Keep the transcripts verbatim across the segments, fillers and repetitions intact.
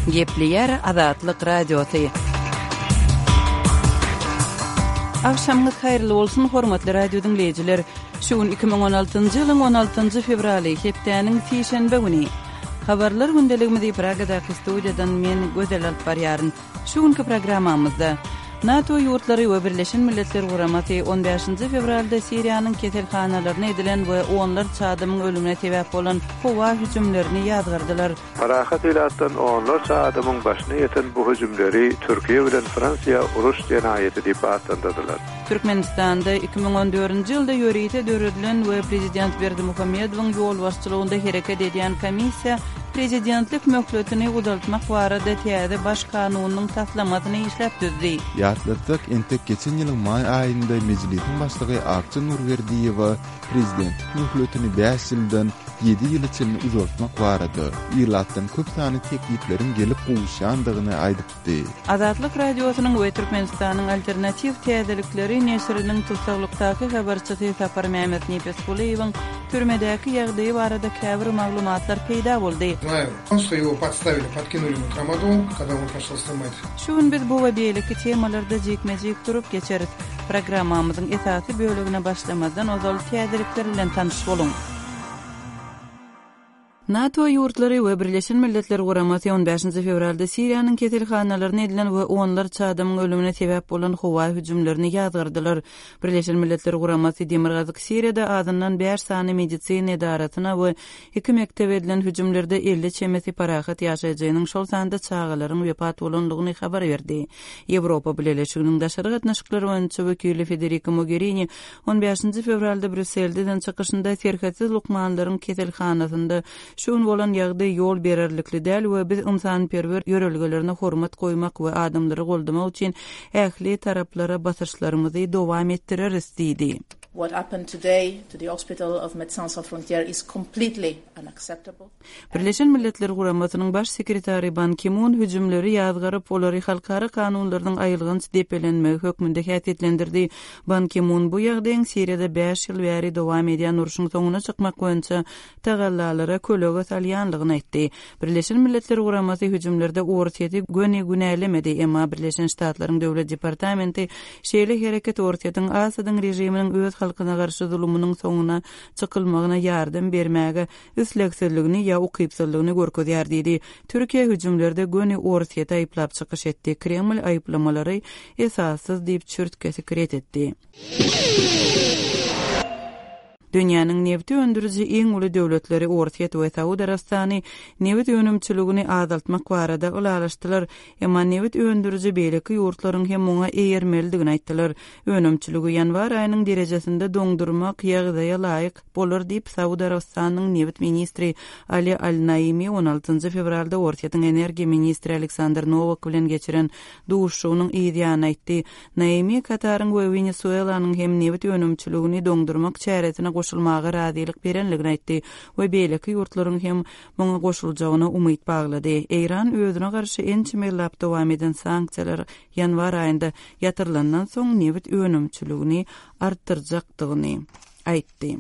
Gepleýär Azatlyk Radiosy. Agşamyňyz haýyrly bolsun, hormatly radio diňleýjiler! Şu gün iki müň on altynjy ýylyň on altynjy fewraly, hepdäniň sişenbe güni. Habarlar gündeligimizi Pragadaky studiýadan men, Gözel alyp barýaryn. Şu günki programmamyzda, NATO ýurtlary we Birleşen Milletler Guramasy on bäşinji fewralda Siriýanyň keselhanalaryna edilen we onlarça adamyň ölümine sebäp bolan howa hüjümlerini ýazgardylar. Parahat ilatdan onlarça adamyň başyna ýeten bu hüjümleri Türkiýe bilen Fransiýa uruş jenaýaty diýip atlandyrdylar. Türkmenistanda iki müň on dördünji ýylda ýörite döredilen we prezident Berdimuhamedowyň ýolbaşçylygynda hereket edýän komissiýa prezidentlik möhletini uzaltmak barada täze Baş kanunyň taslamasyny işläp düzdi. Ýatlatsak, entek geçen ýylyň maý aýynda Mejlisiň başlygy Akja Nurberdiýewa prezidentlik möhletini bäş ýyldan ýedi ýyla çenli uzaltmak barada ilatdan köp sanly teklipleriň gelip gowuşýandygyny aýdypdy. Azatlyk Radiosynyň we Türkmenistanyň Alternatiw täzelikleri neşiriniň tussaglykdaky habarçysy Saparmämmet Nepesgulyýewiň türmedäki ýagdaýy barada käbir maglumatlar peýda boldy. Знаю, что его подставили, подкинули ему трамадол, когда он пошел снимать. Şu gün biz bu we beýleki temalarda jikme-jik durup geçeris. Programmamyzyň esasy bölegine başlamazdan ozal täzelikler bilen tanyş boluň. NATO ýurtlary we Birleşen Milletler Guramasy on bäşinji fewralda Siriýanyň keselhanalaryna edilen we onlarça adamyň ölümine sebäp bolan howa hüjümlerini ýazgardylar. Birleşen Milletler Guramasy Demirgazyk Siriýada azyndan bäş sany medisina edarasyna we iki mekdebe edilen hüjümlerde elli çemesi parahat ýaşaýjynyň, şol sanda çagalaryň wepat bolandygyny habar berdi. Ýewropa Bileleşiginiň daşary gatnaşyklar boýunça wekili Federica Mogherini on bäşinji fewralda Brýusselde eden çykyşynda serhetsiz lukmanlaryň keselhanasynda şu gün bolan ýagdaý ýol bererlikli däl we biz ynsanperwer ýörelgelerine hormat goýmak we adamlary goldamak üçin ähli taraplara basyşlarymyzy dowam etdireris diýdi. What happened today to the hospital of Médecins Sans Frontières is completely unacceptable. Birleşen Milletler Guramasynyň baş sekretary Ban Ki-mun hüjümleri ýazgaryp, olary halkara kanunlarynyň aýylganç depelenmegi hökmünde häsiýetlendirdi. Ban Ki-mun bu ýagdaýyň Siriýada bäş ýyl bäri dowam edýän urşuň soňuna çykmak boýunça tagallalara kölege salýanlygyny aýtdy. Birleşen Milletler Guramasy hüjümlerde Orsýeti göni günälemedi, emma Birleşen Ştatlaryň Döwlet Departamenti şeýle hereket Orsýetiň Asadyň režiminiň öz halkyna garşy zulumynyň soňuna çykylmagyna ýardam bermäge islegsizligini ýa ukypsyzlygyny görkezýär diýdi. Türkiýe hüjümlerde göni Orsýeti aýyplap çykyş etdi. Kreml aýyplamalary esassyz diýip çürt-kesik ret etdi. Dünýäniň nebti öndüriji iň uly döwletleri Orsýet we Saud Arabystany nebit önümçiligini azaltmak barada ylalaşdylar, emma nebit öndüriji beýleki ýurtlaryň hem muňa eýermelidigini aýtdylar. Önümçiligi ýanwar aýynyň derejesinde doňdurmak ýagdaýa laýyk bolar diýip Saud Arabystanyň nebit ministri Ali Al-Naimi on altynjy fewralda Orsýetiň energiýa ministri Aleksandr Nowak bilen geçiren duşuşygynyň yz ýanyna aýtdy. Naimi Kataryň we Wenesuelanyň hem nebit önümçiligini doňdurmak çäresine goşulmaga razylyk berenligini aýtdy we beýleki ýurtlaryň hem muňa goşuljagyna umyt baglady. Eýran özüne garşy ençeme ýyllap dowam eden sanksiýalar ýanwar aýynda ýatyrylandan soň nebit önümçiligini artdyrjakdygyny aýtdy.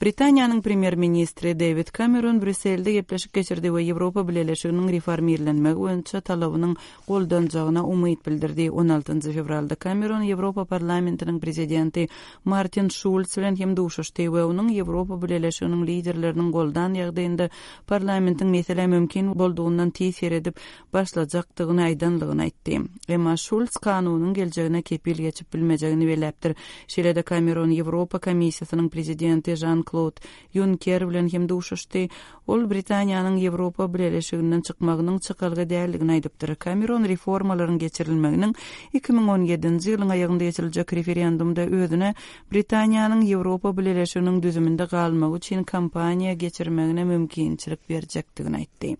Britaniýanyň premýer-ministri David Cameron Brýusselde gepleşik geçirdi we Ýewropa Bileleşiginiň reformirlenmegi boýunça talabynyň goldanjagyna umyt bildirdi. on altynjy fewralda Cameron Ýewropa Parlamentiniň prezidenti Martin Schulz bilen hem duşuşdy we onuň Ýewropa Bileleşiginiň liderleriniň goldan ýagdaýynda parlamentiň meselä mümkin boldugyndan tiz seredip başlajakdygyny aýdanlygyny aýtdy. Emma Schulz kanunyň geljegine kepil geçip bilmejegini belläpdir. Şeýle-de Cameron Ýewropa Komissiýasynyň prezidenti Jean-Claude Juncker bilen hem duşuşdy. Ol Britaniýanyň Ýewropa Bileleşiginden çykmagynyň çykalga däldigini aýdypdyr. Cameron reformalaryň geçirilmeginiň iki müň on ýedinji ýylyň aýagynda geçiriljek referendumda özüne Britaniýanyň Ýewropa Bileleşiginiň düzüminde galmagy üçin kampaniýa geçirmegine mümkinçilik berjekdigini aýtdy.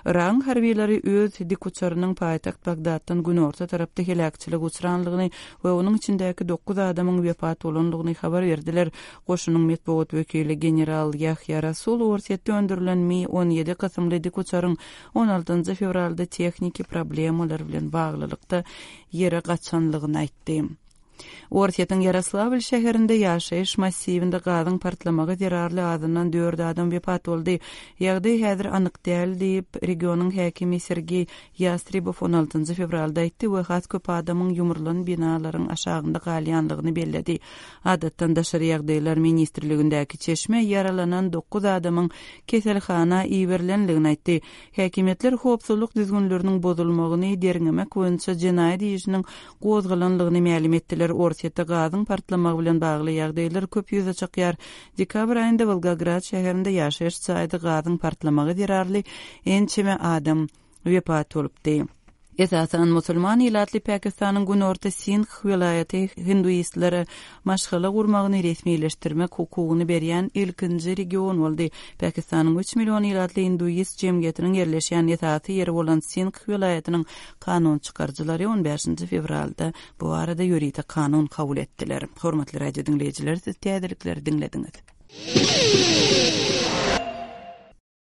Yragyň harbylary öz dikuçarynyň paýtagt Bagdatdan günorta tarapda heläkçilik uçranlygyny we onuň içindäki dokuz adamyň wepat bolanlygyny habar berdiler. Goşunyň metbugat wekili general Ýahýa Rasul Orsýetde öndürilen Mi on ýedi kysymly dikuçaryň on altynjy fewralda tehniki problemalar bilen baglylykda ýere gaçanlygyny aýtdy. Orsýetiň Ýaroslawl şäherinde ýaşaýyş massiwinde gazyň partlamagy zerarly azyndan dört adam wepat boldy. Ýagdaý häzir anyk däl diýip, regionyň häkimi Sergeý Ýastrebow on altynjy fewralda aýtdy we has köp adamyň ýumrulan binalaryň aşagynda galýanlygyny belledi. Adatdan daşary ýagdaýlar ministrligindäki çeşme ýaralanan dokuz adamyň keselhana iberilenligini aýtdy. Häkimiýetler howpsuzlyk düzgünleriniň bozulmagyny derňemek boýunça jenaýat işiniň gozgalanlygyny mälim etdiler. Orsýetde gazyň partlamagy bilen bagly ýagdaýlar köp ýüze çykýar. Dekabr aýynda Wolgograd şäherinde ýaşaýyş jaýda gazyň partlamagy zerarly ençeme adam wepat bolupdy. Esasan musulman ilatly Pakistanyň günorta Sindh welaýaty hinduistlere maşgala gurmagyny resmileşdirmek hukugyny berýän ilkinji region boldy. Pakistanyň üç million ilatly hinduist jemgyýetiniň ýerleşýän esasy ýeri bolan Sindh welaýatynyň kanun çykaryjylary on bäşinji fewralda bu barada ýörite kanun kabul etdiler. Hormatly radio diňleýjiler, siz täzelikleri diňlediňiz.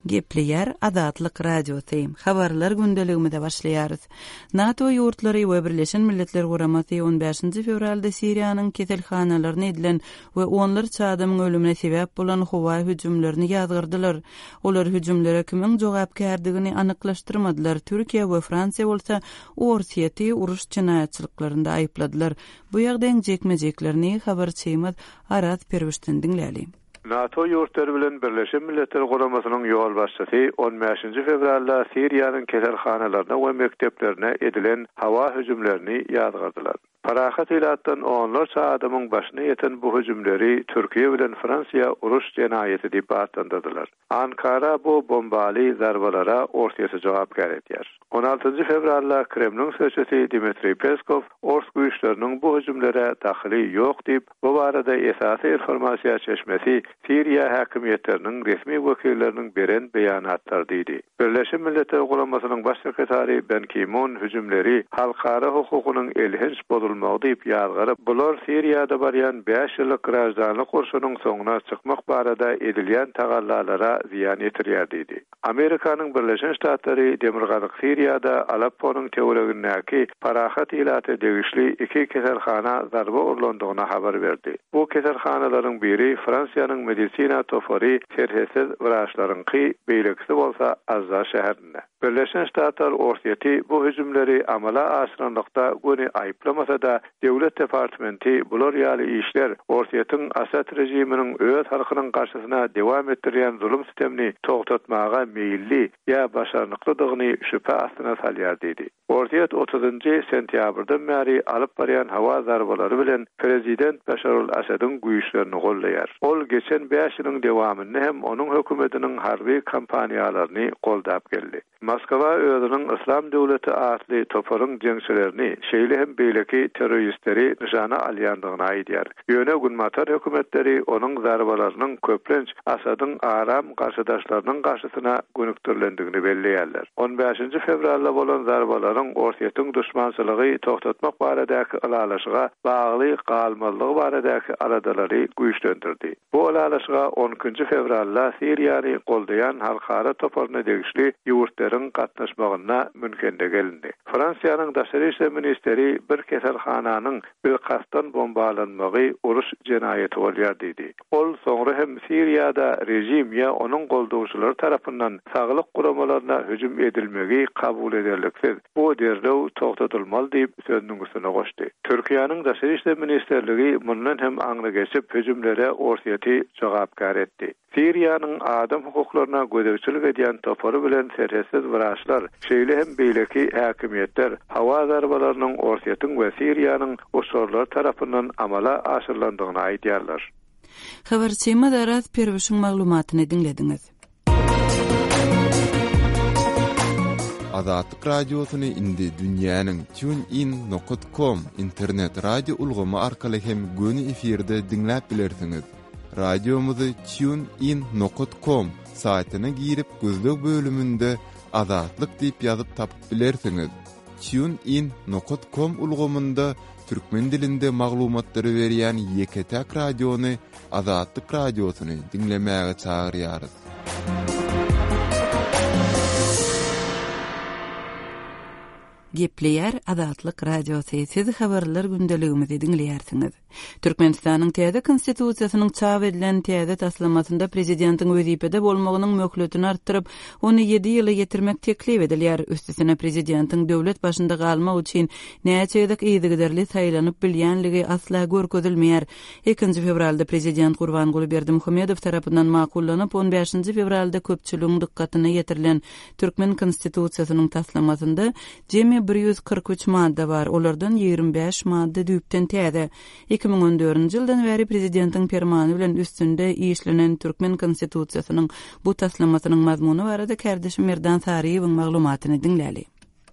Gepleýär Azatlyk Radiosy. Habarlar gündeligimize başlaýarys. NATO ýurtlary we Birleşen Milletler Guramasy on bäşinji fewralda Siriýanyň keselhanalaryna edilen we onlarça adamyň ölümine sebäp bolan howa hüjümlerini ýazgyrdylar. Olar hüjümlere kimiň jogapkärdigini anyklaşdyrmadylar. Türkiýe we Fransiýa bolsa Orsýeti uruş jenaýatçylyklarynda aýypladylar. Bu ýagdaýyň jekme-jeklerini habarçymyz Araz Perwişden diňläli. NATO ýurtlary bilen Birleşen Milletler Guramasynyň ýolbaşçysy on bäşinji fewralda Siriýanyň keselhanalaryna we mekdeplerine edilen howa hüjümlerini ýazgardylar. Parahat ilatdan onlarça adamyň başyna ýeten bu hüjümleri Türkiýe bilen Fransiýa uruş jenaýaty diýip atlandyrdylar. Ankara bu bombaly zarbalara Orsýeti jogapkär edýär. on altynjy fewralda Kremliň sözçüsi Dmitriý Peskow Ors güýçleriniň bu hüjümlere dahyly ýok diýip, bu barada esasy informasiýa çeşmesi Siriýa häkimiýetleriniň resmi wekilleriniň beren beýanatlary diýdi. Birleşen Milletler Guramasynyň baş sekretary Ban Ki-mun hüjümleri halkara hukugynyň elhenç bozulmagy diýip ýazgaryp, bular Siriýada barýan bäş ýyllyk graždanlyk urşunyň soňuna çykmak barada edilýän tagallalara zyýan ýetirýär diýdi. Amerikanyň Birleşen Ştatlary Demirgazyk Siriýada Alepponyň töweregindäki parahat ilata degişli iki keselhana zarba urlandygyny habar berdi. Bu keselhanalaryň biri Fransiýanyň medisina topary serhetsiz wraçlaryňky, beýlekisi bolsa Azza şäherinde. Birleşen Ştatlar Orsýeti bu hüjümleri amala aşyranlykda göni aýyplamasa da Döwlet Departamenti bular ýaly işler Orsýetiň Asad rejiminiň öz halkynyň garşysyna dewam etdirýän zulum sistemini togtatmaga meýilli ýa başarnyklydygyny şübhe astyna salýar diýdi. Orsýet otuzynjy sentýabrdan bäri alyp barýan howa zarbalary bilen prezident Başar al-Asadyň güýçlerini gollaýar. Ol geçen bäş ýylyň dewamynda hem onuň hökümetiniň harby kampaniýalaryny goldap geldi. Moskwa özüniň Islam döwleti atly toparyň jeňçilerini, şeýle hem beýleki terroristleri nyşana alýandygyny aýdýar. Ýöne Günbatar hökümetleri onuň zarbalarynyň köplenç Asadyň aram garşydaşlarynyň garşysyna gönükdirilendigini belleýärler. on bäşinji fewralda bolan zarbalaryň Orsýetiň duşmançylygy togtatmak baradaky ylalaşyga bagly galmazlygy baradaky aladalary güýçlendirdi. Bu ylalaşyga on ikinji fewralda Siriýany goldaýan halkara toparyna degişli ýurtlaryň gatnaşmagynda Münhende gelindi. Fransiýanyň daşary işler ministeri bir keselhananyň bilkastdan bombalanmagy uruş jenaýaty bolýar diýdi. Ol soňra hem Siriýada rejim ýa onuň goldawçylary tarapyndan saglyk guramalaryna hüjüm edilmegi kabul ederliksiz. Bu derrew togtatylmaly diýip sözüniň üstüne goşdy. Türkiýäniň daşary işler ministerligi mundan hem aňry geçip hüjümlere Orsýeti jogapkär etdi. Siriýanyň adam hukuklaryna gözegçilik edýän topary bilen serhetsiz wraçlar, şeýle hem beýleki häkimiýetler howa zarbalarynyň Orsýetiň we Siriýanyň uçarlary tarapyndan amala aşyrylandygyny aýdýarlar. Habarçymyz Araz Perwişiň maglumatyny diňlediňiz. Azatlyk radiosyny indi dünýäniň TuneIn nokta com internet radio ulgamy arkaly hem göni efirde diňläp bilersiňiz. Radiomyzy TuneIn nokta com saýtyna girip gözleg bölüminde Azatlyk diýip ýazyp tapyp bilersiňiz. TuneIn nokta com ulgamynda türkmen dilinde maglumatlary berýän ýeke-täk radiony Azatlyk radiosyny diňlemäge çagyrýarys. Gepleýär Azatlyk Radiosy. Siz habarlar gündeligimizi diňleýärsiňiz. Türkmenistanyň täze konstitusiýasynyň çap edilen täze taslamasynda prezidentiň wezipede bolmagynyň möhletini artdyryp, ony ýedi ýyla ýetirmek teklip edilýär. Üstesine prezidentiň döwlet başynda galmak üçin näçe gezek yzygiderli saýlanyp bilýänligi asla görkezilmeýär. Ikinji fewralda prezident Gurbanguly Berdimuhamedow tarapyndan makullanyp, on bäşinji fewralda köpçüligiň dykgatyna ýetirilen Türkmen konstitusiýasynyň taslamasynda jemi bir ýüz kyrk üç madda bar, olardan ýigrimi bäş madda düýpden täze. Iki müň on dördünji ýyldan bäri prezidentiň permany bilen üstünde işlenen Türkmen konstitusiýasynyň bu taslamasynyň mazmuny barada kärdeşim Merdan Saryýewiň maglumatyny diňläli.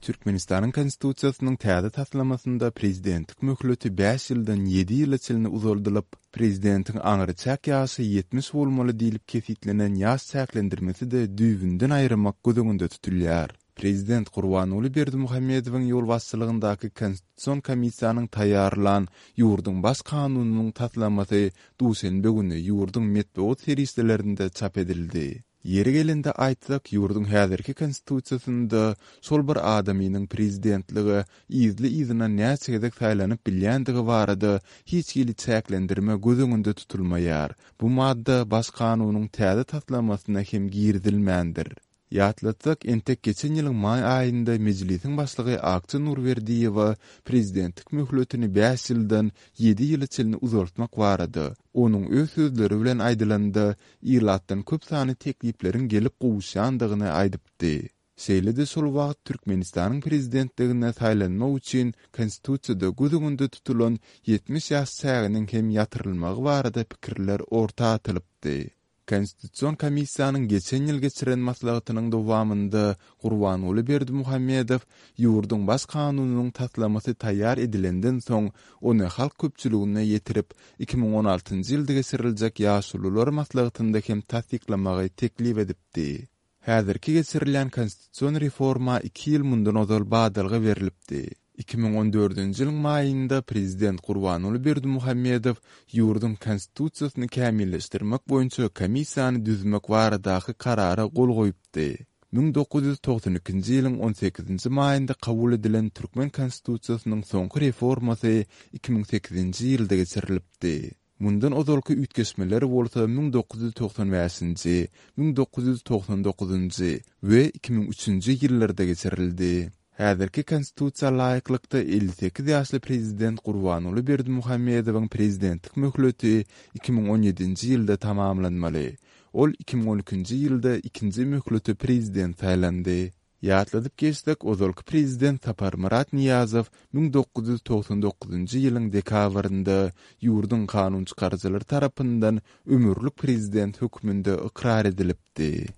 Türkmenistanyň Konstitusiýasynyň täze taslamasynda prezidentlik möhleti bäş ýyldan ýedi ýyla çenli uzaldylyp, prezidentiň aňryçäk ýaşy ýetmiş bolmaly diýlip kesitlenen ýaş çäklendirmesi-de düýbünden aýyrmak göz öňünde tutulýar. Prezident Gurbanguly Berdimuhamedowyň ýolbaşçylygyndaky Konstitusion komissiýanyň taýýarlan ýurduň Baş kanunynyň taslamasy duşenbe güni ýurduň metbugat serişdelerinde çap edildi. Ýeri gelende aýtsak, ýurduň häzirki Konstitusiýasynda şol bir adamynyň prezidentlige yzly-yzyna näçe gezek saýlanyp bilýändigi barada hiç hili çäklendirme göz öňünde tutulmaýar. Bu madda Baş kanunyň täze taslamasyna hem girizilmändir. Ýatlatsak, entek geçen ýylyň maý aýynda Mejlisiň başlygy Akja Nurberdiýewa prezidentlik möhletini bäş ýyldan ýedi ýyla çenli uzaltmak barada, onuň öz sözleri bilen aýdylanda, ilatdan köp sanly teklipleriň gelip gowuşýandygyny aýdypdy. Şeýle-de şol wagt Türkmenistanyň prezidentligine saýlanmak üçin Konstitusiýada göz öňünde tutulan ýetmiş ýaş çäginiň hem ýatyrylmagy barada pikirler orta atylypdy. Konstitusion komissiýanyň geçen ýyl geçiren maslahatynyň dowamynda Gurbanguly Berdimuhamedow ýurduň Baş kanunynyň taslamasy taýýar edilenden soň ony halk köpçüligine ýetirip, iki müň on altynjy ýylda geçiriljek ýaşulular maslahatynda hem tassyklamagy teklip edipdi. Häzirki geçirilýän konstitusion reforma iki ýyl mundan ozal badalga berlipdi. Iki müň on dördünji ýylyň maýynda prezident Gurbanguly Berdimuhamedow ýurduň konstitusiýasyny kämilleşdirmek boýunça komissiýany düzmek baradaky karara gol goýupdy. Müň dokuz ýüz togsan ikinji ýylyň on sekizinji maýynda kabul edilen Türkmen konstitusiýasynyň soňky reformasy iki müň sekizinji ýylda geçirilipdi. Mundan ozalky üýtgeşmeler bolsa müň dokuz ýüz togsan bäşinji, müň dokuz ýüz togsan dokuzynjy we iki müň üçünji ýyllarda geçirildi. Häzirki konstitusiýa laýyklykda elli sekiz ýaşly prezident Gurbanguly Berdimuhamedowyň prezidentlik möhleti iki müň on ýedinji ýylda tamamlanmaly. Ol iki müň on ikinji ýylda ikinji möhleti prezident saýlandy. Ýatladyp geçsek, ozalky prezident Saparmyrat Nyýazow müň dokuz ýüz togsan dokuzynjy ýylyň dekabrynda ýurduň kanunçykaryjylary tarapyndan ömürlik prezident hökmünde ykrar edilipdi.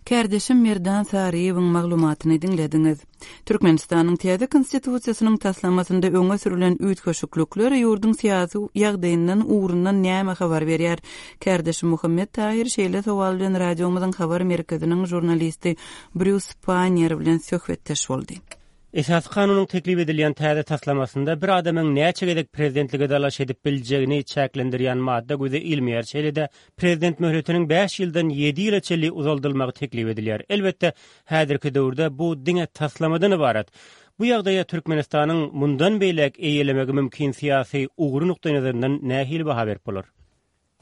Kärdeşim Merdan Saryýewiň maglumatyny diňlediňiz. Türkmenistanyň täze konstitusiýasynyň taslamasynda öňe sürülen üýtgeşiklikler ýurduň syýasy ýagdaýyndan ugrundan näme habar berýär? Kärdeşim Muhammet Tahir şeýle sowal bilen radiomyzyň habar merkeziniň žurnalisti Brýus Pannier bilen söhbetdeş boldy. Esasy kanunyň teklip edilýän täze taslamasynda bir adamyň näçe gezek prezidentlige dalaş edip biljegini çäklendirýän madda göze ilmeýär. Şeýle-de prezident möhletiniň bäş ýyldan ýedi ýyla çenli uzaldylmagy teklip edilýär. Elbetde, häzirki döwürde bu diňe taslamadan ybarat. Bu ýagdaýa Türkmenistanyň mundan beýläk eýelemegi mümkin syýasy ugry nukdaýnazaryndan nähili baha berip bolar?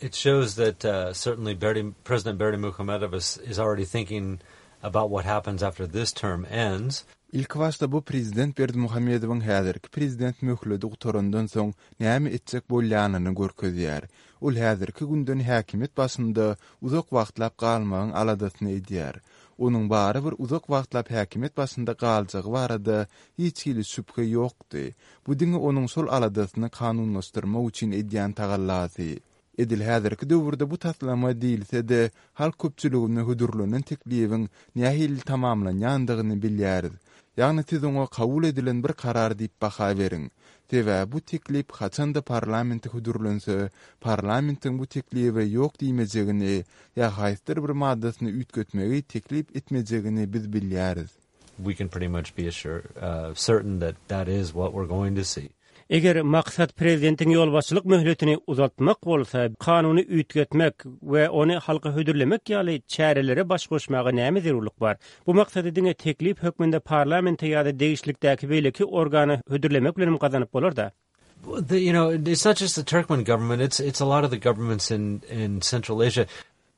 It shows that, uh, certainly Berdi, President Berdimuhamedov is, is already thinking about what happens after this term ends. Ilk başda bu prezident Berdimuhamedowyň häzirki prezident möhleti gutarandan soň näme etjek bolýanyny görkezýär. Ol häzirki günden häkimiýet başynda uzak wagtlap galmagyň aladasyny edýär. Onuň bary bir uzak wagtlap häkimiýet başynda galjagy barada hiç hili şübhe ýokdy. Bu diňe onuň şol aladasyny kanunlaşdyrmak üçin edýän tagallasy. Edil häzirki döwürde bu taslama diýilse-de, halk köpçüligine hödürlenen teklibiň nähili tamamlanýandygyny bilýäris. Ýagny siz oňa kabul edilen bir karar diýip baha beriň. Sebäbi bu teklip haçanda parlamente hödürlense, parlamentiň bu teklibe ýok diýmejegini ýa haýsydyr bir maddasyny üýtgetmegi teklip etmejegini biz bilýäris. We can pretty much be assured, uh, certain that that is what we're going to see. Eger maksat prezidentiň ýolbaşçylyk möhletini uzaltmak bolsa, kanuny üýtgetmek we ony halka hödürlemek ýaly çärelere baş goşmaga näme zerurlyk bar? Bu maksady diňe teklip hökmünde parlamente ýa-da degişlilikdäki beýleki organa hödürlemek bilen gazanyp bolar-da. The, you know, it's not just the Turkmen government, it's it's a lot of the governments in in Central Asia.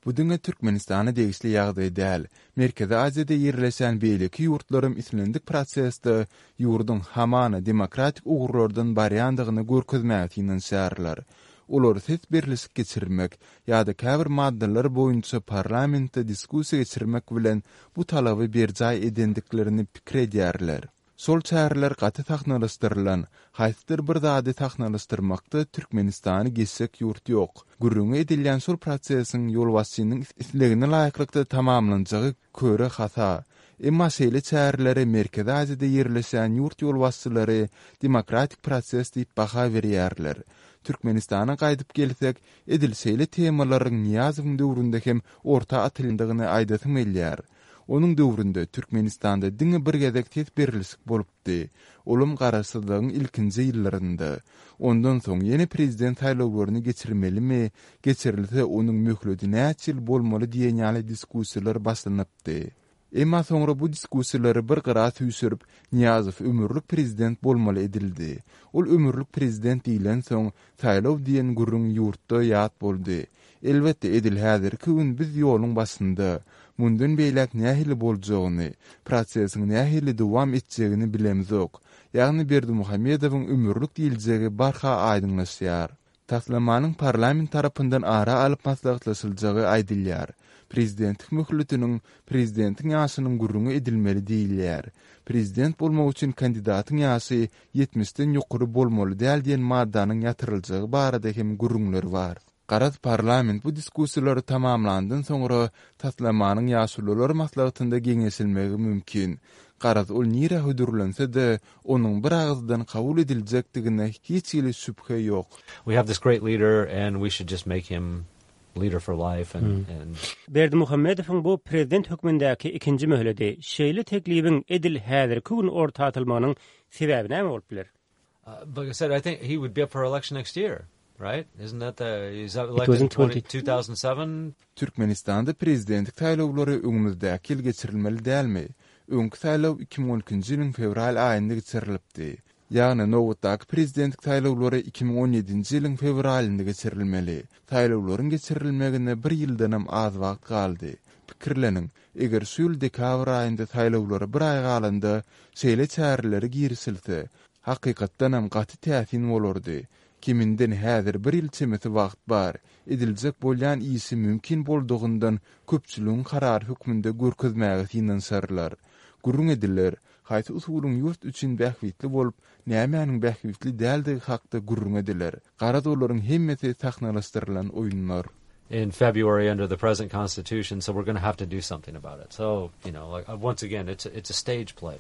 Bu diňe Türkmenistana degişli ýagdaý däl. Merkezi Aziýada ýerleşen beýleki ýurtlaryň islendik prosesde ýurduň hamana demokratik ugurlardan barýandygyny görkezmäge synanyşýarlar. Olar ses berlişik geçirmek ýa-da käbir maddalar boýunça parlamentde diskussiýa geçirmek bilen bu talaby berjaý edendiklerini pikir edýärler. Şol çäreler gaty sahnalaşdyrylan, haýsydyr bir zady sahnalaşdyrmakda Türkmenistany geçjek ýurt ýok. Gürrüňi edilýän şol prosesiň ýolbaşçynyň islegine laýyklykda tamamlanjagy köre hasa. Emma şeýle çärelere Merkezi Aziýada ýerleşen ýurt ýolbaşçylary demokratik proses diýip baha berýärler. Türkmenistana gaýdyp gelsek, edil şeýle temalaryň Niýazowyň döwründe hem orta atyldygyny aýdasym gelýär. Onuň döwründe Türkmenistanda diňe bir gezek ses berlişik bolupdy. Olam garaşsyzlygyň ilkinji ýyllarynda. Ondan soň ýene prezident saýlawlaryny geçirmelimi, geçirilse onuň möhleti näçe ýyl bolmaly diýen ýaly diskussiýalar başlanypdy. Emma soňra bu diskussiýalary bir gyra süýşürip, Niýazow ömürlik prezident bolmaly edildi. Ol ömürlik prezident diýlen soň saýlaw diýen gürrüň ýurtda ýat boldy. Elbetde edil häzirki gün biz ýoluň başynda. Mundan beýläk nähili boljagyny, prosesiň nähili dowam etjegini bilemzok. Ýagny Berdimuhamedowyň ömürlik diýiljegi barha aýdyňlaşýar. Taslamanyň parlament tarapyndan ara alyp maslahatlaşyljagy aýdylýar. Prezidentlik möhletiniň prezidentiň ýaşynyň gürrüňi edilmeli diýilýär. Prezident bolmak üçin kandidatyň ýaşy ýetmişden ýokary bolmaly däl diýen maddanyň ýatyryljagy barada hem gürrüňler bar. Garaz parlament bu diskussiýalary tamamlandan soňra taslamanyň ýaşulular maslahatynda geňeşilmegi mümkin. Garaz ol nirä hödürlense-de, onuň bir agyzdan kabul ediljekdigine hiç hili şübhe ýok. We have this great leader and we should just make him leader for life and Hmm. and Berdimuhamedowyň bu prezident hökmündäki ikinji möhleti şeýle teklibiň edil häzirki gün orta atylmagynyň sebäbi näme bolup biler? Uh, like I said, I think he would be up for election next year, right? Isn't that the he's up It elected was in in twenty, twenty two thousand seven? Türkmenistanda prezidentlik saýlawlary öňümizdäki ýyl geçirilmeli dälmi? Öňki saýlaw iki müň on ikinji ýylyň fewral aýynda geçirilipdi. Ýagny nobatdaky prezidentlik saýlawlary iki müň on ýedinji ýylyň fewralynda geçirilmeli. Saýlawlaryň geçirilmegine bir ýyldanam az wagt galdy. Pikirleniň, eger şu ýyl dekabr aýynda saýlawlara bir aý galanda şeýle çärelere girişilse, hakykatdanam gaty täsin bolardy. Kiminden häzir bir ýyl çemesi wagt bar. Ediljek bolýan işi mümkin boldugyndan köpçüligiň karary hökmünde görkezmäge synanyşarlar. Gürrüň ediler, haýsy usulyň ýurt üçin bähbitli bolup, nämäniň bähbitli däldigi hakda gürrüň ediler. Garaz olaryň hemmesi sahnalaşdyrylan oýunlar. In February under the present constitution, so we're going to have to do something about it. So, you know, like uh, once again, it's a, it's a stage play.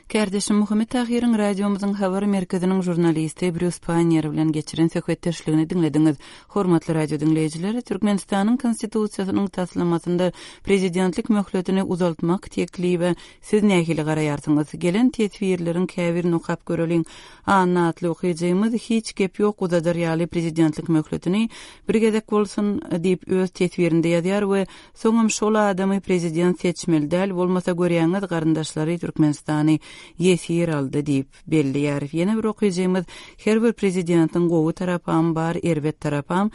Kärdeşim Muhammet Tahyryň radiomyzyň habar merkeziniň žurnalisti Brýus Pannier bilen geçiren söhbetdeşligini diňlediňiz. Hormatly radio diňleýjiler, Türkmenistanyň konstitusiýasynyň taslamasynda prezidentlik möhletini uzaltmak teklibi siz nähili garaýarsyňyz? Gelen teswirleriň käbirini okap göreliň. Anna atly okyjymyz hiç gep ýok uzadar ýaly prezidentlik möhletini bir gezek bolsun diýip öz teswirinde ýazýar we soňam şol adamy prezident seçmeli däl bolmasa görýäňiz garyndaşlary Türkmenistany ýesir aldy diýip belleýär. Ýene bir okyjymyz her bir prezidentiň gowy tarapam bar, erbet tarapam.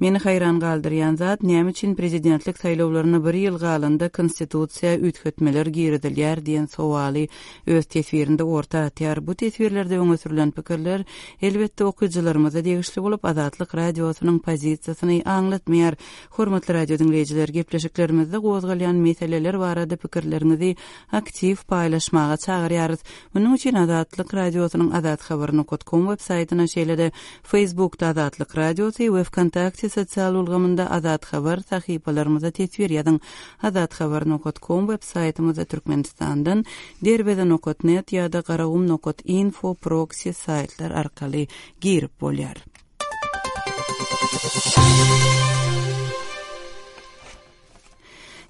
Meni haýran galdyrýan zat näme üçin prezidentlik saýlawlaryna bir ýyl galanda konstitusiýa üýtgetmeler girizilýär diýen sowaly öz teswirinde orta atýar. Bu teswirlerde öňe sürülen pikirler elbetde okyjylarymyza degişli bolup Azatlyk radiosynyň pozisiýasyny aňlatmaýar. Hormatly radio diňleýjiler, gepleşiklerimizde gozgalýan meseleler barada pikirleriňizi aktiw paýlaşmaga çagyrýarys. Munuň üçin Azatlyk radiosynyň azathabar nokta com web saýtyna şeýle-de Facebookda Azatlyk radiosy we VKontakte sosial ulgamynda Azat Habar sahypalarymyza teswir ýazyň. Azathabar nokta com web saýtymyzda Türkmenistandan derweze nokta net ýa-da garagum nokta info proxy saýtlar arkaly girip bolýar.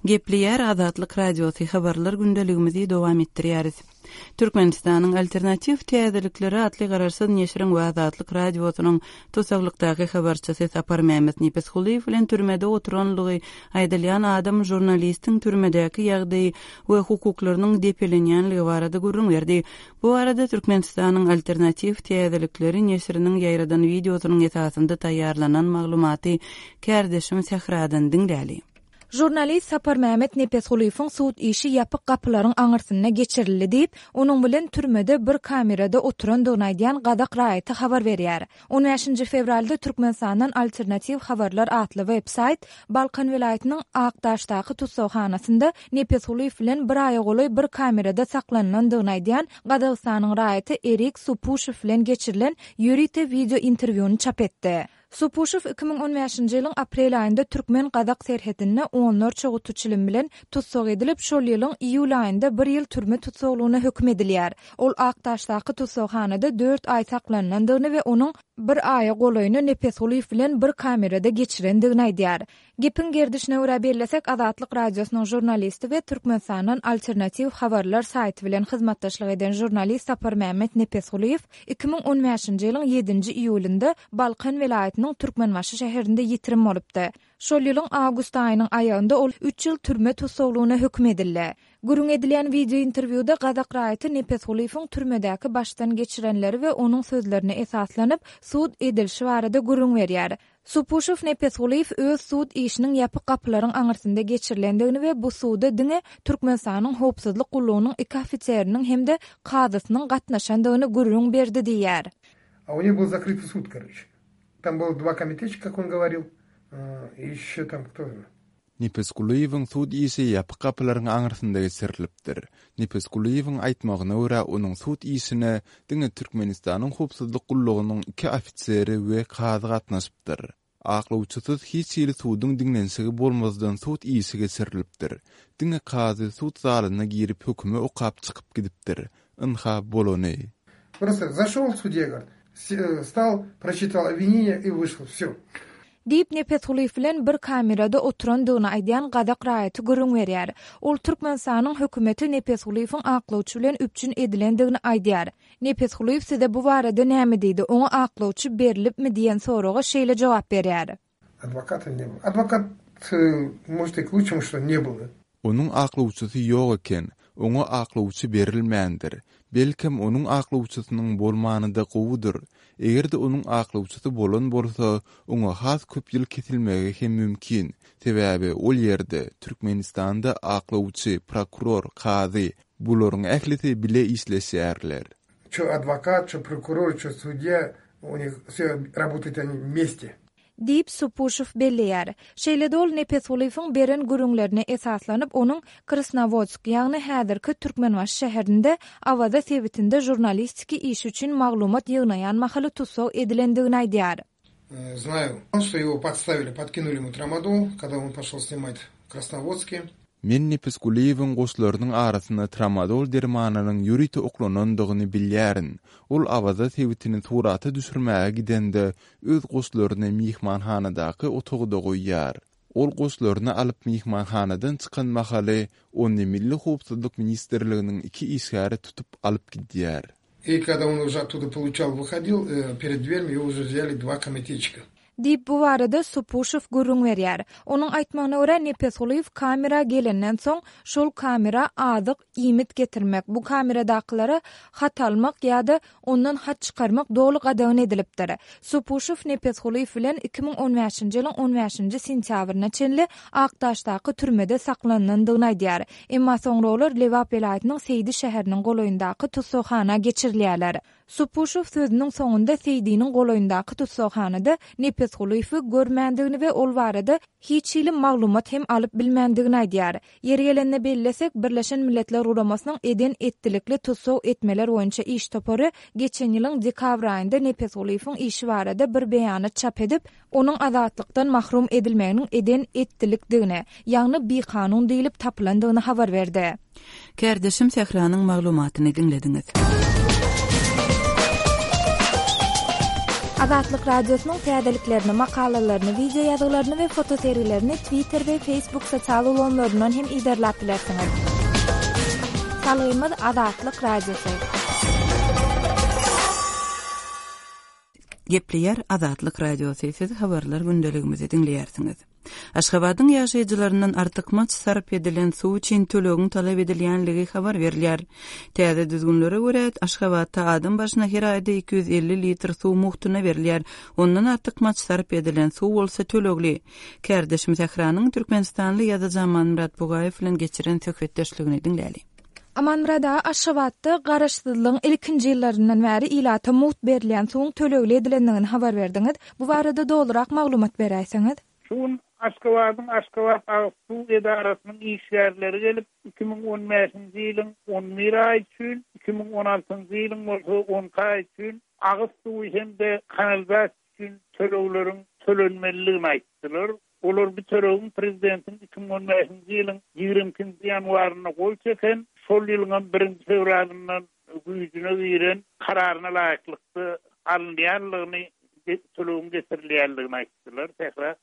Gepleýär Azatlyk radiosy, habarlar gündeligimizi dowam etdirýäris. Türkmenistanyň Alternatiw täzelikleri atly garaşsyz neşiriň we Azatlyk Radiosynyň tusaglykdaky habarçysy Saparmämmet Nepesgulyýew bilen türmede oturanlygy aýdylýan adam žurnalistiň türmedäki ýagdaýy we hukuklarynyň depelenýänligi barada gürrüň berdi. Bu barada Türkmenistanyň Alternatiw täzelikleri neşiriniň ýaýradan wideosynyň esasynda taýýarlanan maglumaty kärdeşim Sähradan diňläli. Žurnalist Saparmämmet Nepesgulyýewiň sud işi ýapyk gapylaryň aňyrsynda geçirildi diýip, onuň bilen türmede bir kamerada oturandygyny aýdýan gazak raýaty habar berýär. On bäşinji fewralda Türkmenistandan Alternatiw habarlar atly web-saýt Balkan welaýatynyň Akdaşdaky tussaghanasynda Nepesgulyýew bilen bir aýa golaý bir kamerada saklanylandygyny aýdýan Gazagystanyň raýaty Erik Supuşew bilen geçirilen ýörite wideo interwýuny çap etdi. Supuşew iki müň on bäşinji ýylyň aprel aýynda türkmen-gazak serhedinde onlarça guty çilim bilen tussag edilip, şol ýylyň iýul aýynda bir ýyl türme tussaglygyna höküm edilýär. Ol Akdaşdaky tussaghanada dört aý saklanylandygyny we onuň bir aýa golaýyny Nepesgulyýew bilen bir kamerada geçirendigini aýdýar. Gepiň gerdişine görä bellesek, Azatlyk Radiosynyň žurnalisti we Türkmenistandan Alternatiw habarlar saýty bilen hyzmatdaşlyk eden žurnalist Saparmämmet Nepesgulyýew iki müň on bäşinji ýylyň ýedinji iýulynda Balkan welaýatynyň Türkmenbaşy şäherinde ýitirim bolupdy. Şol ýylyň awgust aýynyň aýagynda ol üç ýyl türme tussaglygyna höküm edildi. Gürrüň edilýän wideo interwýuda gazak raýaty Nepesgulyýewiň türmedäki başdan geçirenleri we onuň sözlerine esaslanyp sud edilişi barada gürrüň berýär. Supuşew Nepesgulyýew öz sud işiniň ýapyk gapylaryň aňyrsynda geçirilendigini we bu suda diňe Türkmenistanyň howpsuzlyk gullugynyň iki ofiseriniň hem-de kazysynyň gatnaşandygyny gürrüň berdi diýýär. А у них был закрытый суд, короче. Там было два комитетчика, как он говорил, и еще там кто? Nepesgulyýewiň sud işi ýapyk gapylaryň aňyrsynda geçirilipdir. Nepesgulyýewiň aýtmagyna görä, onuň sud işine diňe Türkmenistanyň howpsuzlyk gullugynyň iki ofiseri we kazy gatnaşypdyr. Aklawçysyz hiç hili suduň diňlenişigi bolmazdan sud işi geçirilipdir. Diňe kazy sud zalyna girip hökümi okap çykyp gidipdir. Ynha bolany. Просто зашел судья, говорит, стал, прочитал обвинение и вышел. Все. Diýip Nepesgulyýew bilen bir kamerada oturandygyny aýdýan gazak raýaty gürrüň berýär. Ol Türkmenistanyň hökümeti Nepesgulyýewiň aklawçy bilen üpjün edilendigini aýdýar. Nepesgulyýew size bu barada näme diýdi? Oňa aklawçy berilipmi diýen soraga şeýle jogap berýär. Адвоката не было. Адвокат, может, и к лучшему, что не было. Onuň aklawçysy ýok eken, oňa aklawçy berilmändir. Belkem onuň aklawçysynyň bolmany-da gowudyr. Eger-de onuň aklawçysy bolan bolsa, oňa has köp ýyl kesilmegi hem mümkin. Sebäbi ol ýerde Türkmenistanda aklawçy, prokuror, kazy bularyň ählisi bile işleşýärler. Чё адвокат, чё прокурор, чё судья, у них все работают они вместе. Diýip Supuşew belleýär. Şeýle-de ol Nepesgulyýewiň beren gürrüňlerine esaslanyp, onuň Krasnowodsk, ýagny häzirki Türkmenbaşy şäherinde Awaza sebitinde žurnalistiki işi üçin maglumat ýygnaýan mahaly tussag edilendigini aýdýar. Знаю, что его подставили, подкинули ему трамадол, когда он пошел снимать в Красноводске. Men Nepesgulyýewiň goşlarynyň arasynda tramadol dermanynyň ýörite oklanandygyny bilýärin. Ol Awaza sebitini surata düşürmäge gidende öz goşlaryny mehmanhanadaky otagda goýýar. Ol goşlaryny alyp mehmanhanadan çykan mahaly ony Milli howpsuzlyk ministrliginiň iki işgäri tutup alyp gidýär. И когда он уже оттуда получал, выходил, перед дверью его уже взяли два комитетчика. Diýip bu barada Supuşew gürrüň berýär. Onuň aýtmagyna görä Nepesgulyýew kamera gelenden soň şol kamera azyk iýmit getirmek, bu kameradakylara hat almak ýa-da ondan hat çykarmak doly gadagan edilipdir. Supuşew Nepesgulyýew bilen iki müň on bäşinji ýylyň on bäşinji sentýabryna çenli Akdaşdaky türmede saklanandygyny aýdýar. Emma soňra olar Lebap welaýatynyň Seýdi şäheriniň golaýyndaky tussaghana geçirilýärler. Supuşew sözüniň soňunda Seýdiniň golaýyndaky tussaghanada Nepesgulyýewi görmändigini we ol barada hiç hili maglumat hem alyp bilmändigini aýdýar. Ýeri gelende bellesek, Birleşen Milletler Guramasynyň eden etdilikli tussag etmeler boýunça iş topary geçen ýylyň dekabr aýynda Nepesgulyýewiň işi barada bir beýanat çap edip, onuň azatlykdan mahrum edilmeginiň eden etdilikdigini, ýagny bikanun diýilip tapylandygyny habar berdi. Kärdeşim Sähranyň maglumatyny diňlediňiz. Azatlyk Radiosynyň täzeliklerini, makalalaryny, wideo ýazgylaryny we fotosergilerini Twitter we Facebook sosial ulgamlaryndan hem iderläp bilersiňiz. Salgymyz Azatlyk Radiosy. Gepleýär Azatlyk Radiosy. Siz habarlar gündeligimizi diňleýärsiňiz. Aşgabadyň ýaşaýjylaryndan artykmaç sarp edilen suw üçin tölegiň talap edilýänligi habar berilýär. Täze düzgünlere görä Aşgabatda adam başyna her aýda iki ýüz elli litr suw mugtuna berilýär. Ondan artykmaç sarp edilen suw bolsa tölegli. Kärdeşim Sähranyň Türkmenistanly ýazyjy Amanmyrat Bugaýew bilen geçiren söhbetdeşligini diňläli. Amanmyrat aga, Aşgabatda garaşsyzlygyň ilkinji ýyllaryndan bäri ilata mugt berilýän suwuň tölegli edilendigini habar berdiňiz. Bu barada dogrurak maglumat beräýseňiz. Şu gün Aşgabadyň Aşgabat Agyz Suw edarasynyň işgärleri gelip iki müň on bäşinji ýylyň on bir aý üçin, iki müň on altynjy ýylyň bolsa on iki aý üçin agyz suwy hem-de kanalizasiýa üçin tölegleriň tölenmelidigini aýtdylar. Olar bu tölegiň prezidentiň iki müň on bäşinji ýylyň ýigrimi ikinji ýanwarynda gol çeken, şol ýylyň birinji fewralyndan güýjüne giren kararyna laýyklykda alynýanlygyny, tölegiň getirilýänligini aýtdylar. Sähra.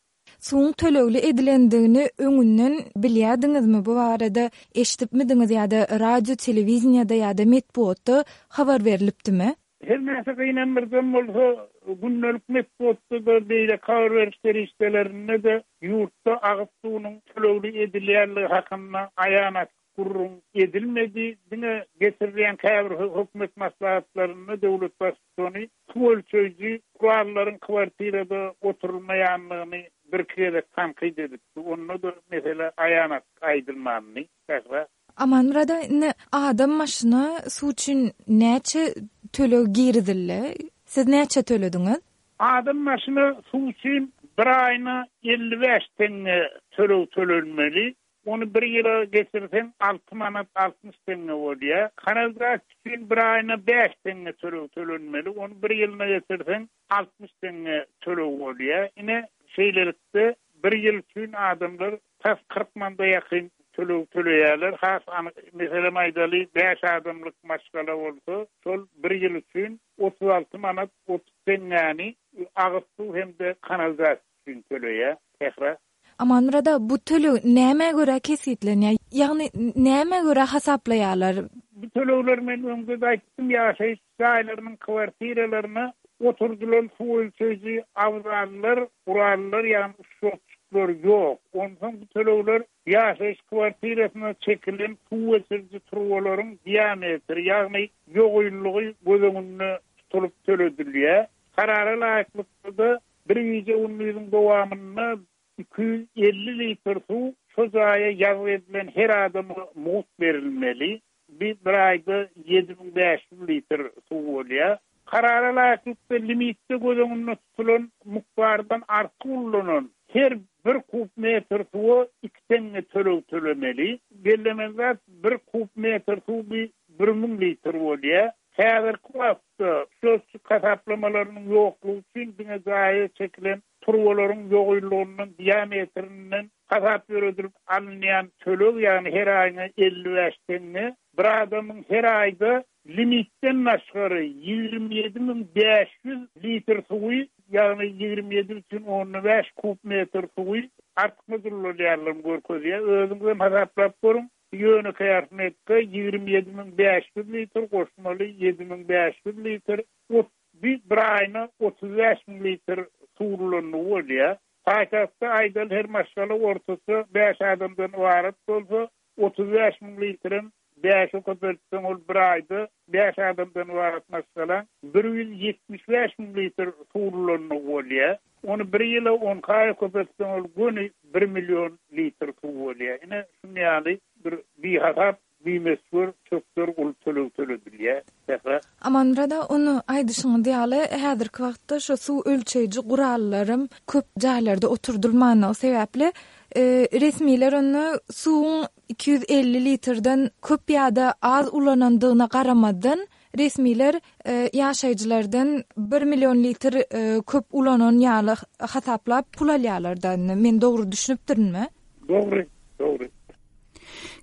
Suwuň tölegli edilendigini öňünden bilýärdiňizmi? Bu barada eşidipmidiňiz ýa-da radio, telewiziyada ýa-da metbugatda habar berilipdimi? Her näçe gynandyrdan bolsa, gündelik metbugatda da beýle habar beriş serişdelerinde de ýurtda agyz suwunyň tölegli edilýänligi hakynda aýan açyk gürrüň edilmedi. Diňe getirilýän käbir hökümet maslahatlarynda döwlet baştutany suw ölçeýji kurallaryň kwartirada oturulmaýanlygyny bir iki gezek tankyt edipdi. Onda da mesele aýan açyk aýdylmandy. Sähra. Amanmyrat aga, indi adam başyna suw üçin näçe töleg girizildi? Siz näçe tölediňiz? Adam başyna suw üçin bir aýyna elli bäş teňňe töleg tölenmeli. Onu bir ýyla geçirseň alty manat altmyş teňňe bolýar. Kanalizasiýa üçin bir aýyna bäş teňňe töleg tölenmeli. Onu bir ýylyna geçirseň altmyş teňňe töleg bolýar. Ine şeýlelikde bir ýyl üçin adamlar tas kyrk manda ýakyn töleg töleýärler. Has anyk meselem aýdaly bäş adamlyk maşgala bolsa, şol bir ýyl üçin otuz alty manat otuz teňňäni agyz suw hem-de kanalizasiýa üçin töleýär. Sähra. Amanmyrat aga, bu töleg nämä görä kesgitlenýär? Ýagny nämä görä hasaplaýarlar? Bu tölegler men öňde de aýtdym, ýaşaýyş jaýlarynyň kwartiralaryna oturdylan suw ölçeýji abzallar, gurallar, ýagny şotçuklar ýok. Onsoň bu tölegler ýaşaýyş kwartirasyna çekilen suw geçiriji turbalaryň diametri, ýagny ýogynlygy göz öňünde tutulyp töledilýär. Karara laýyklykda bir gije gündiziň dowamynda iki ýüz elli litr suw şu jaýa ýazgy edilen her adama mugt berilmeli. Bir, bir aýda ýedi müň bäş ýüz litr suw bolýar. Karara laýyklykda limitde göz öňünde tutulan mukdardan artyk ullanan her bir kub metr suwa iki teňňe töleg tölemeli. Bellemeli zat, bir kub metr suw bir, bir müň litr bolýar. Häzirki wagtda şöhçük hasaplamalarynyň ýoklugy üçin diňe jaýa çekilen turbalaryň ýogynlygyndan, diametrinden hasap ýöredilip alynýan töleg, ýagny her aýyna elli bäş teňňe, bir adamyň her aýda limitden başgary ýigrimi ýedi müň bäş ýüz litr suwy, ýagny ýigrimi ýedi bütün on bäş kub metr suwy artykmaç ullanýarlygyny görkezýär. Özüňiz hem hasaplap görüň. Ýönekeý arifmetika ýigrimi ýedi müň bäş ýüz litr goşmaly ýedi müň bäş ýüz litr, ot, bir, bir aýyna otuz bäş müň litr suw ullandygy bolýar. Paýtagtda aýdaly her maşgala ortaça bäş adamdan ybarat bolsa, otuz bäş müň litrem bäşe köpeltseň ol bir aýda bäş adamdan ybarat maşgala bir ýüz ýetmiş bäş müň litr suw ullandygy bolýar. Onu bir ýyla on iki aýa köpeltseň ol göni bir million litr suw bolýar. Ine şuny ýaly bir bihasap, bimesgür çökder uly töleg töledilýär. Sähra. Amanmyrat aga, ony aýdyşyňyz ýaly, häzirki wagtda şu suw ölçeýji gurallarym köp jaýlarda oturdylmanlygy sebäpli, e, resmiler ony suwuň iki ýüz elli litrden köp ýa-da az ulanandygyna garamazdan resmiler, e, ýaşaýjylardan bir million litr, e, köp ulanan ýaly hasaplap pul alýarlar da. Men dogry düşünipdirinmi? Dogry, dogry.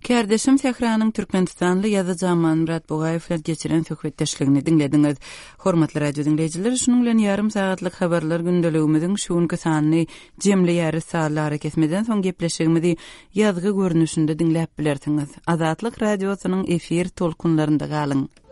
Kärdeşim Sähranyň Türkmenistanly ýazyjy Amanmyrat Bugaýew bilen geçiren söhbetdeşligini diňlediňiz. Hormatly radio diňleýjiler, şunuň bilen ýarym sagatlyk habarlar gündeligimiziň şu günki sanyny jemleýäris. Sazly arakesmeden soň gepleşigimizi ýazgy görnüşinde diňläp bilersiňiz. Azatlyk radiosynyň efir tolkunlarynda galyň.